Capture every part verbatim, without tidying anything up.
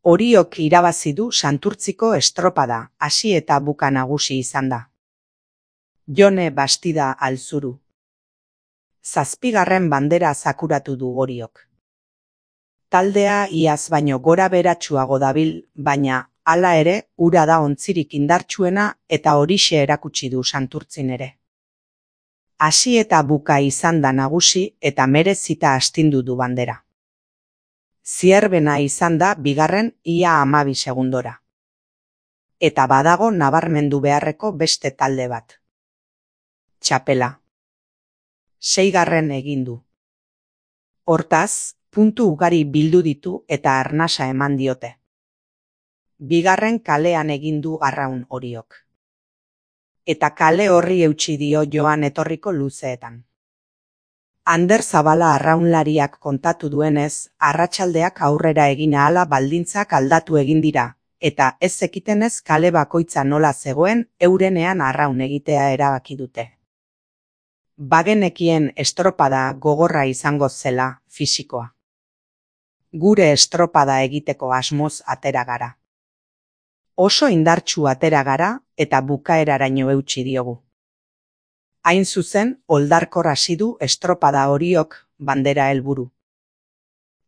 Oriok irabazi du Santurtziko estropada, hasi eta buka nagusi izan da. Jone Bastida Alzuru. Zazpigarren bandera zakuratu du Oriok. Taldea iaz baino gora beratsuago dabil, baina, hala ere, ura da ontzirik indartsuena eta horixe erakutsi du Santurtzin ere. Hasi eta buka izan da nagusi eta merezita astindu du bandera. Zierbena izan da bigarren ia hamabi segundora. Eta badago nabarmendu beharreko beste talde bat. Txapela. Seigarren egin du. Hortaz, puntu ugari bildu ditu eta arnasa eman diote. Bigarren kalean egin du Arraun Oriok. Eta kale horri eutsi dio joan etorriko luzeetan. Ander Zabala arraunlariak kontatu duenez, arratsaldeak aurrera egin ahala baldintzak aldatu egin dira, eta ez zekitenez kale bakoitza nola zegoen eurenean arraun egitea erabaki dute. Bagenekien estropada gogorra izango zela, fisikoa. Gure estropada egiteko asmoz atera gara. Oso indartsu atera gara eta bukaeraraino eutsi diogu. Hain zuzen, oldarkor hasi du estropada Oriok bandera helburu.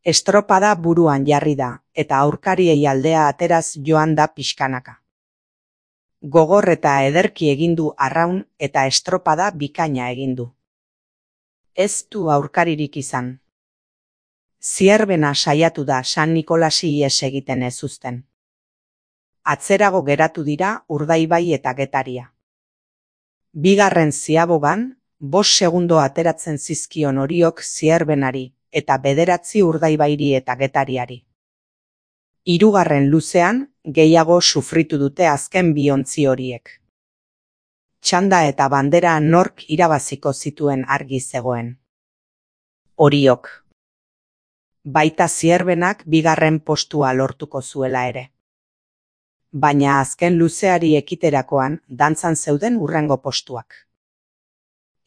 Estropada buruan jarri da, eta aurkariei aldea ateraz joan da pixkanaka. Gogor eta ederki egin du arraun eta estropada bikaina egin du. Ez du aurkaririk izan. Zierbena saiatu da San Nikolasi ihes egiten ez uzten. Atzerago geratu dira Urdaibai eta Getaria. Bigarren ziabogan, bost segundo ateratzen zizkion Oriok Zierbenari eta bederatzi Urdaibairi eta Getariari. Hirugarren luzean, gehiago sufritu dute azken bi ontzi horiek. Txanda eta bandera nork irabaziko zituen argi zegoen. Oriok. Baita Zierbenak bigarren postua lortuko zuela ere. Baina azken luzeari ekiterakoan dantzan zeuden hurrengo postuak.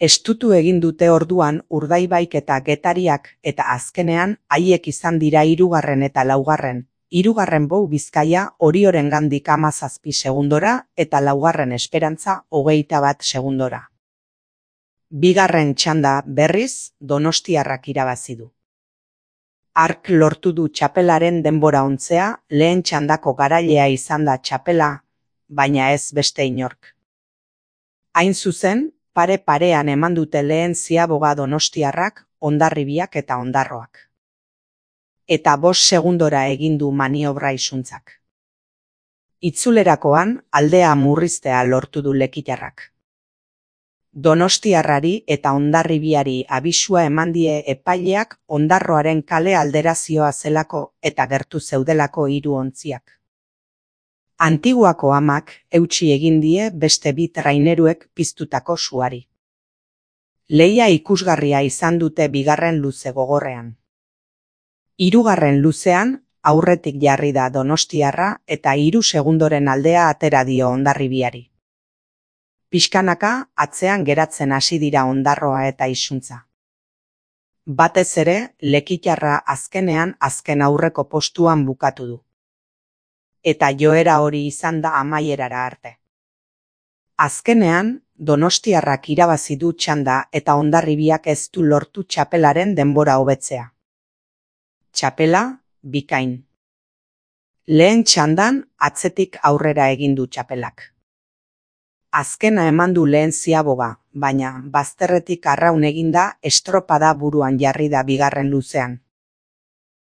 Estutu egin dute orduan Urdaibaik eta Getariak eta azkenean haiek izan dira hirugarren eta laugarren, hirugarren Bou Bizkaia Oriorengandik hamazazpi segundora eta laugarren Esperantza hogeita bat segundora. Bigarren txanda berriz Donostiarrak irabazi du. Ark lortu du txapelaren denbora ontzea, lehen txandako garailea izan da txapela, baina ez beste inork. Hain zuzen, pare-parean eman dute lehen ziaboga Donostiarrak, Hondarribiak eta Ondarroak. Eta bost segundora egin du maniobra isuntzak. Itzulerakoan, aldea murriztea lortu du Lekitarrak. Donostiarrari eta Hondarribiari abisua eman die epaileak Ondarroaren kale alderazioa zelako eta gertu zeudelako hiru ontziak. Antiguako amak eutsi egin die beste bi traineruek piztutako suari. Lehia ikusgarria izan dute bigarren luze gogorrean. Hirugarren luzean, aurretik jarri da Donostiarra eta hiru segundoren aldea atera dio Hondarribiari. Pixkanaka atzean geratzen hasi dira Ondarroa eta Isuntza. Batez ere, Lekitarra azkenean azken aurreko postuan bukatu du. Eta joera hori izan da amaierara arte. Azkenean, Donostiarrak irabazi du txanda eta Hondarribiak ez du lortu txapelaren denbora hobetzea. Txapela, bikain. Lehen txandan atzetik aurrera egin du txapelak. Azkena eman du lehen ziaboga, baina bazterretik arraun eginda estropada buruan jarri da bigarren luzean.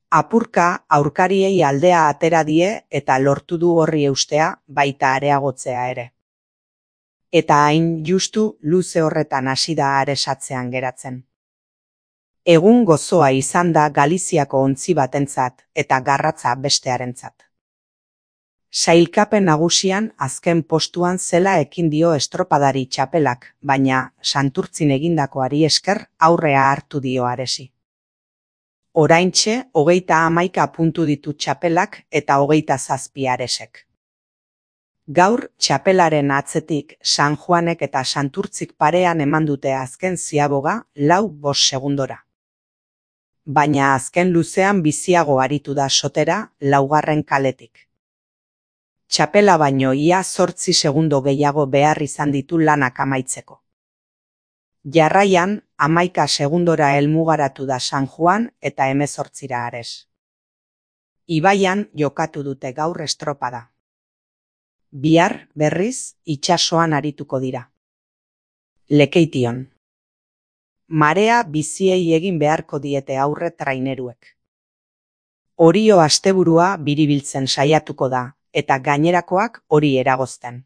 Apurka aurkariei aldea atera die eta lortu du horri eustea baita areagotzea ere. Eta hain justu luze horretan hasi da aresatzean geratzen. Egun gozoa izan da Galiziako ontzi batentzat eta garratza bestearentzat. Sailkapen nagusian azken postuan zela ekin dio estropadari txapelak, baina Santurtzin egindakoari esker aurrea hartu dio aresi. Oraintxe, hogeita hamaika puntu ditu txapelak eta hogeita zazpi aresek. Gaur, txapelaren atzetik San Juanek eta Santurtzik parean eman dute azken ziaboga lau bost segundora. baina azken luzean biziago aritu da sotera laugarren kaletik. Txapela baino ia zortzi segundo gehiago behar izan ditu lanak amaitzeko. Jarraian, hamaika segundora helmugaratu da San Juan eta hemezortzira Ares. Ibaian jokatu dute gaur estropada. Bihar, berriz, itsasoan arituko dira. Lekeition. Marea biziei egin beharko diete aurre traineruek. Orio asteburua biribiltzen saiatuko da, eta gainerakoak hori eragozten.